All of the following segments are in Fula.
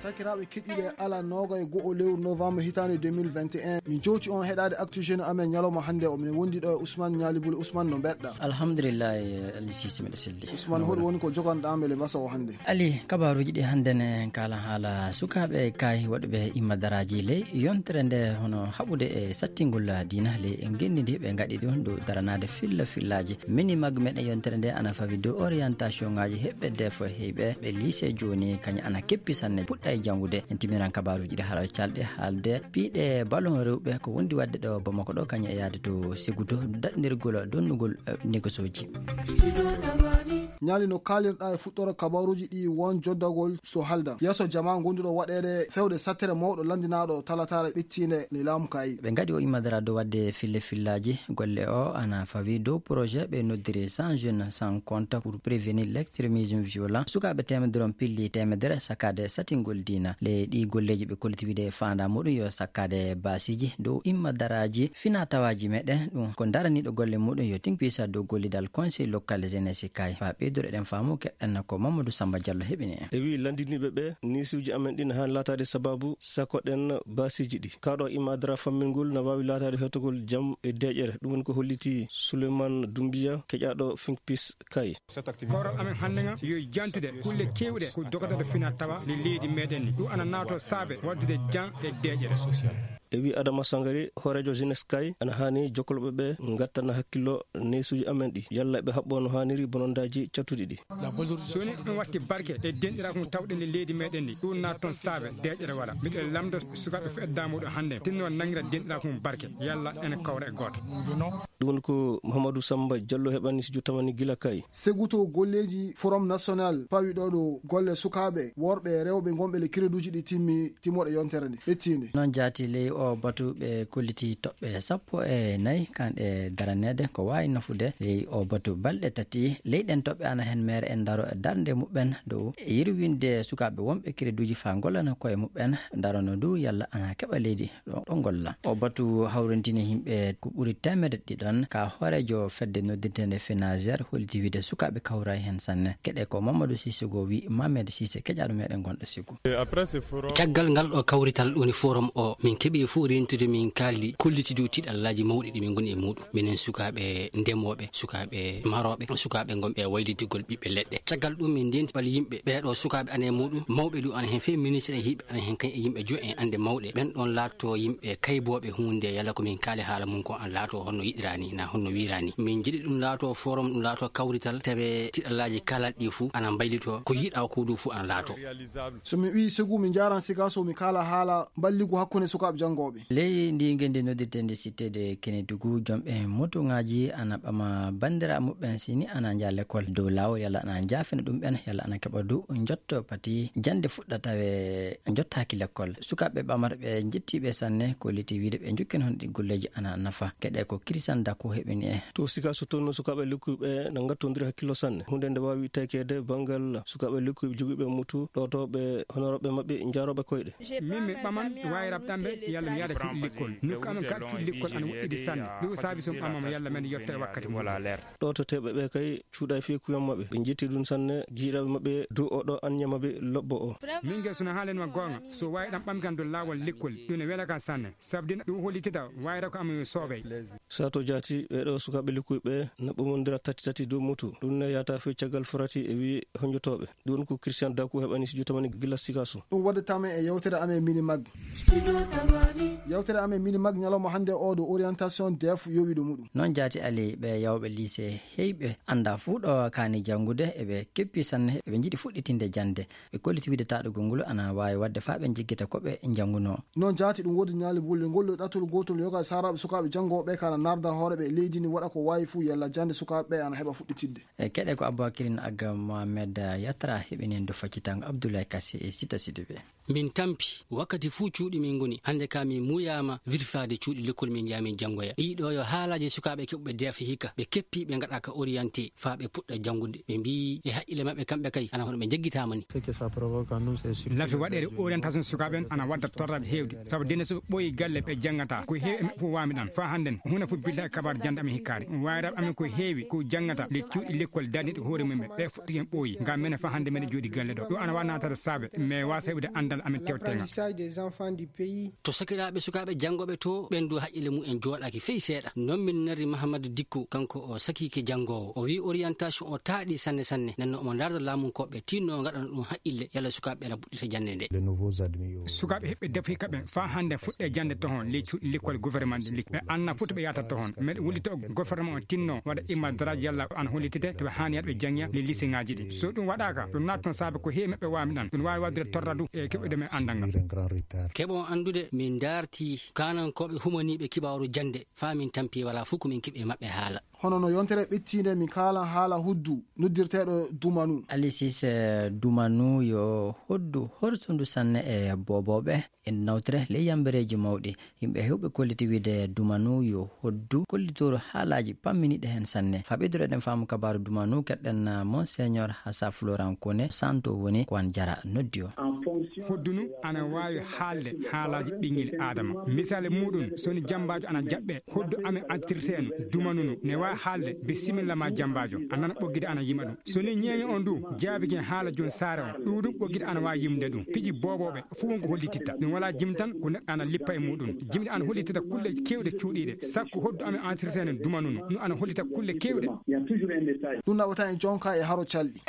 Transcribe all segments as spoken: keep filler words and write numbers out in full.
Sakiraaɓe keɗiiɓe, ala noogay go'o lewru novembre hitaande deux mille vingt et un, min jowti on heɗaade Actu Jeune amen ñalawma hannde o. Min wondi ɗo e Ousmane Ñaali Buli. Ousmane, no mbeɗɗa? Alhamdulillahi, Alisiisi, miɗo selli. Ousmane, hoɗum woni ko joganɗaa amen e mbasa o hannde? Ali, kabaaruuji ɗi hannde ne kaala haala sukaaɓe kay waɗuɓe immadaraaji ley yontere nde, hono haɓude e sattingol diina ley e ngenndi ndi ɓe ngaɗi ɗum dow daranaade filla fillaaji. Minimag meɗen yontere nde ana fawi dow orientation ŋaaji heɓɓe defo heyɓe ɓe lycée jooni, kañum ana keppi sanne puɗɗa e janngude. En timiran kabaaruuji ɗi haala calɗe haalde piiɗe ballon rewɓe ko wondi waɗde ɗo Bamako ɗo, kañum e yaade to Seguto daɗndirgol donnugol, eh, négosoji. Ñaali, no kaalirɗa e fuɗɗoore kabaaruuji ɗi won joddagol so halda yeeso jamaa gonduɗo waɗeede fewde sattere mawɗo lanndinaaɗo talataare ɓettiinde ni laamu kayi. Ɓe ngaɗi o immadara dow waɗde fille fillaaji golle o ana fawi dow projet ɓe noddiri cent jeunes sans compte pour prévenir l'extrémisme violent. Sukaaɓe teemedere on pilli teemedere sakkaade satingol diina. Ley ɗi golleeji ɓe kolliti wiide faanda muɗum yo sakkaade baasiiji dow immadaraaji fina tawaaji meɗen. Ɗum ko daraniiɗo golle muɗum yo tinkpisa dow gollidal conseil local jeunesse kay. Faa ɓeydude ɗen faamu keɗɗen ko Mamadou Samba Diallo heɓini en. E wii lanndiniiɓe ɓe, niisuuji amen ɗin haani laataade sababu sakoɗen baasiiji ɗi. Kaɗo immadara fammingol na waawi laataade hettogol jam e deeƴere. Ɗum woni ko holliti Souleymane Doumbia, keƴaaɗo Finkpis Kay. Kawral amen hannde nga yo jantude kulle keewɗe ko dogata fina tawa le leydi meɗen ni. Ɗum ana naato saabe waddude jam e deeƴere. E wii Adama Sangari, hooreejo jeunesse kay, ana haani jokkolɓe ɓe ngattana hakkillo neesuuji amen ɗi. Yalla ɓe haɓɓo no haaniri bonondaaji cattuɗi ɗi. So ni ɗum watti barke e denɗiraaku ngu tawɗen e leydi meɗen ndi, ɗum naat toon saabe deeƴere wala. Miɗo lamndo sukaaɓe fu eddaa muɗum hannde, tinno nangira denɗiraaku mum barke, yalla ene kawra e gooto. Ɗum woni ko Mouhamadou Samba Diallo heɓani studio tamani gila kay. Seguto golleeji Forum National pawi ɗo ɗo golle sukaaɓe, worɓe e rewɓe ngonɓe le créduji ɗi timmi, timmoɗe yontere nde, ɓettiinde. Noon jaati ley o batu ɓe kolliti toɓɓe sappo e nayi kanɗe daraneede ko waawi nafude ley o batu balɗe tati. Ley ɗen toɓɓe ana heen meere en daro e darnde muɓɓen dow e yirwinde sukaaɓe wonɓe créduji faa ngollana koye muɓɓen, darano du yalla ana keɓa leydi ɗo, ɗo ngolla. O batu hawrintini yimɓe ko ɓuri teemedde ɗiɗon ka hooreejo fedde noddirteende Fenager holliti wiide sukaaɓe kawray heen sanne. Keɗe ko Mamadou Sissoko wi Mohamed Sise keƴaaɗo meɗen gonɗo Sigu. Caggal ngal ɗo kawrital woni forum o, min keɓi fof rentude, min kaaldi kolliti dow tiɗallaaji mawɗi ɗi min ngoni e muɗum. Minen sukaaɓe ndemooɓe, sukaaɓe marooɓe, sukaaɓe ngonɓe e waylitigol ɓiɓɓe leɗɗe. Caggal ɗum min ndenti bal yimɓe ɓeeɗo sukaaɓe ana e muɗum, mawɓe ɗum ana heen, fee ministre e hiɓe ana heen, kañ e yimɓe jo en annde mawɗe. Ɓen ɗon laatto yimɓe kaybooɓe huunde, yalla ko min kaali haala mum ko an laato honno yiɗirani, na honno wirani. Min jiɗi ɗum laato forum, ɗum laato kawrital, tawe tiɗallaaji kalaɗi ɗi fuu ana mbaylito, ko yiɗa ko du fuu ana laato. So mi wii Segu, mi jaaran Sigaso, mi kaala haala mballigu hakkunde sukaaɓe janngooɓe. Ley ndi ngenndi noddirtendi Cité de Kénédougou, jomɓe motuŋaaji ana ɓama banndiraaɓe muɓɓen sini ana njaha lekkol dow laawol, yalla ana njaafina ɗum ɓen, yalla ana keɓa du njotto pati jannde fuɗɗa tawe njottaaki lekkol. Sukaaɓe ɓamata ɓe njettiiɓe sanne, kolliti wiide ɓe njukken hono ɗi golleeji ana nafa. Keɗe ko Christian Dako heɓini en. To Sigaso toon, sukaaɓe lekkuyɓe na ngattondiri hakkillo sanne. Huunde nde waawi taykeede banngal sukaaɓe lekkuyɓe jogiiɓe mutu, ɗootooɓe honorooɓe maɓɓe, njaarooɓe koyɗe. Min mi ɓaman wayrab ɗamɓe, yalla mi yaada cuuɗi lekkol. Nokku amen ka cuuɗi lekkol ana woɗɗidi sanne. Ɗum saabi so mi ɓamama yalla men yettere wakkati mum. Ɗoototeeɓe ɓe kay cuuɗay fii kuyan maɓɓe. Ɓe njetti ɗum sanne, jiiɗaaɓe maɓɓe dow oɗo anniya maɓɓe lobbo o. Min nge suna haalen ma goonga, so waawi ɗam ɓamkan dow laawol lekkol, ɗum ne wela kan sanne. Sabu dina ɗum hollitita wayrab ko amen soobay. Sato jaati, ɓeeɗo sukaaɓe lekkuyɓe na ɓamondira tati tati dow mutu. Ɗum ne yaata fii caggal farati e wii honjotooɓe. Ɗum ko Christian Daku heɓani studio tamani gila Sigaso. Ɗum waɗde tama e yewtere amen Minimag. Yewtere amen Minimag ñalawma hannde o ɗo orientation def yowiɗo muɗum. Noon jaati Ali ɓe yawɓe lycée heyɓe annda fuu ɗo kaani janngude, eɓe keppi sanne, eɓe njiɗi fuɗɗitinde jannde. Ɓe kolliti wiide taɗugol ngol ana waawi waɗde faa ɓe njiggita ko ɓe njanngunoo. Noon jaati ɗum woodi ñaali bulle ngol ɗo ɗattol gootol yoga e saaraaɓe sukaaɓe janngooɓe ɓe kana narda hoore ɓe leydi ni waɗa ko waawi fuu yalla jannde sukaaɓe ɓe ana heɓa fuɗɗitidde. E keɗe ko Aboubacrine Agga Mohamed Yatra heɓini en do faccitango Abdoulaye Kassé e Sita Sidibé. Min tampi wakkati fuu cuuɗi min ngoni. Hannde ka min muuyaama wirfaade cuuɗi lekkol min njaha min janngoya. Ɗii ɗo yo haalaaji sukaaɓe keɓuɓe deefa hikka. Ɓe keppi ɓe ngaɗa ka orienté faa ɓe puɗɗa janngude. Ɓe mbii e haqqille maɓɓe kamɓe kay ana hono ɓe njeggitaama ni. Lafi waɗeede orientation sukaaɓe en ana wadda torraade heewde. Sabu denne so ɓe ɓooyi galle ɓe janngata. Ko heewi e maɓɓe fof waami ɗam. Faa hannden huunde fof billa e kabaar jannde amen hikkaade. Wayraaɓe amen ko heewi ko janngata le cuuɗi lekkol darniiɗi ko hoore mum ɓe. Ɓe fuɗɗi en ɓooyi. Ngam menen faa hannde meɗen jooɗi galle ɗo. Ɗum ana waɗa naatata saabe. Mais waasa heɓude anndal. amen tewtenga. To sakiraaɓe sukaaɓe janngooɓe to, ɓen du haqqille mum en jooɗaaki fey seeɗa. Non min nari Mahamadu Dikko, kanko o sakiike janngoowo. O wi'i orientation o taaɗi sanne sanne. Nden non omo ndaarda laamunkooɓe tinno ngaɗana ɗum haqqille yalla sukaaɓe ɓe ɓuɗɗita jannde nde. Sukaaɓe heɓɓe defi kaɓe faa hannde fuɗɗe jannde tohon ley cuuɗi likkol gouvernement ɗi. Ɓe anna fof to ɓe yahata tohon. Meɗen wullito gouvernement on tinno waɗa imma daraaji yalla ana hollitite to ɓe haani yaade ɓe janngiya ley liseŋaaji ɗi. So ɗum waɗaaka, ɗum naatno saabe ko heewi maɓɓe waami ɗan. Ɗum waawi waɗde torra du e keɓuɗo men anndal ngal. Keɓon anndude, min ndaarti kaanankooɓe humaniiɓe kibaaru jannde, faa min tampi walaa fof ko min keɓi e maɓɓe haala. Hono no yontere ɓettiinde, min kaalan haala huddu noddirteeɗo Dumanu. Alisis, eh, Dumanu yo hoddu horsundu sanne e boobooɓe. En nawtire ley yambereeji mawɗi. Yimɓe heewɓe kolliti wiide Dumanu yo hoddu kollitooru haalaaji pamminiiɗe heen sanne. Faa ɓeydoreɗen faamu kabaaru Dumanu, keɗɗen, ah, Monseigneur Hassa Florent Kone, santo woni ko an jara noddi o. Hoddunu ana waawi haalde haalaaji ɓinngel Aadama. Misaali muuɗum, so ni jammbaajo ana jaɓɓee, hoddu amen antirteeno Dumanunu ne waawi haalde, bisimilla ma jammbaajo, a nana ɓoggide ana yima ɗum. So ni ñeeño on du jaabike haala jooni saare on, ɗuuɗum ɓoggide ana waawi yimde ɗum. Piji boobooɓe fof won ko hollititta. Ɗum walaa jimtan ko neɗɗo ana lippa e muuɗum. Jimɗi ana hollitita kulle keewɗe cuuɗiiɗe. Sakko hoddu amen antirteeno Dumanunu. Ɗum ana hollita kulle keewɗe. Ɗum naɓata en jonka e haro calɗi.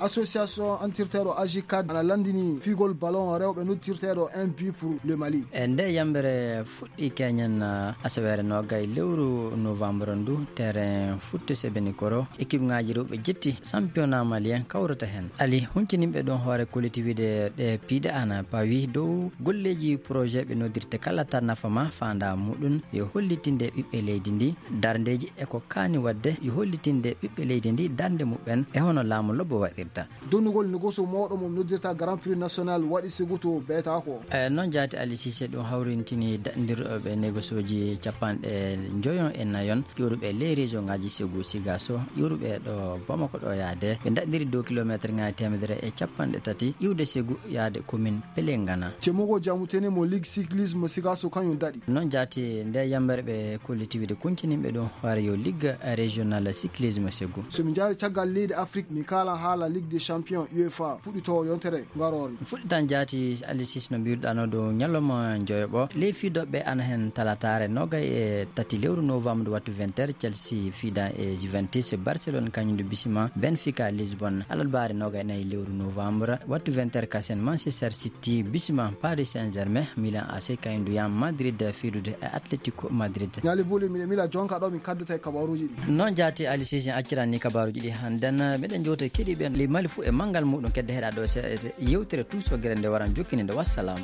Association antirteeɗo Agicad ana lanndini fiigol ballon rewɓe noddirteeɗo Un but pour le Mali. E nde yambere fuɗɗi keñen, uh, asaweere noogay lewru novembre ndu, terrain Foot Sebenikoro, équipe ŋaaji rewɓe jetti championnat malien kawrata heen. Ali, hunciniiɓe ɗon hoore kolliti wiide ɗe piiɗe ana pawi dow golleeji projet ɓe noddirte kala tan nafa ma faanda muɗum yo hollitinde ɓiɓɓe leydi ndi darndeeji e ko kaani waɗde yo hollitinde ɓiɓɓe leydi ndi darnde muɓɓen e hono laamu lobbo waɗirta. Donnugol nogoso mawɗo mo noddirta Grand Prix National waɗi siguto beetaako. E noon jaati Ali Cissé ɗum hawrintini daɗndirɗo ɓe négociooji capanɗe njoyon e nayon ƴuuruɓe ley région ŋaaji Ségou Sigasso, ƴuuruɓe ɗo Bamako ɗo yaade. Ɓe daɗndiri dow kilomeeter ŋaaji teemedere e capanɗe tati iwde Ségou yaade commune Pelengana. Cemogo Jamutene mo Ligue Cyclisme Sigasso kañum daɗi. Noon jaati nde yambere ɓe kolliti wiide kunciniiɓe ɗum hoore yo Ligue Régionale Cyclisme Ségou. So min njaari caggal leydi Afrique, min kaala haala Ligue des Champions UEFA fuɗɗitoowo yontere ngaroore. Fuɗɗitan jaati Ali Cissé no mbiruɗaa no dow ñalawma njoyoɓo. Ley fiidooɓe ana heen talataare noogay e tati lewru novembre wattu vingt heures, Chelsea fiida e Juventus, Barcelone kañum du bisima Benfica Lisbonne, alarbaare noogay e nayi lewru novembre wattu vingt heures kasen, Manchester City bisima Paris Saint-Germain, Milan A C kañum du yan Madrid fiidude e Atletico Madrid. Ñaali buuli miɗe mila jonka ɗo min kaddata e kabaruuji ɗi. Noon jaati Ali Cissé accirani kabaruuji ɗi hannden, meɗen jowta keɗiiɓe ley Mali fof e manngal muɗum kedde heɗa ɗo se-, se-, yewtere tuusogere nde waran jokkini nde. Wassalam.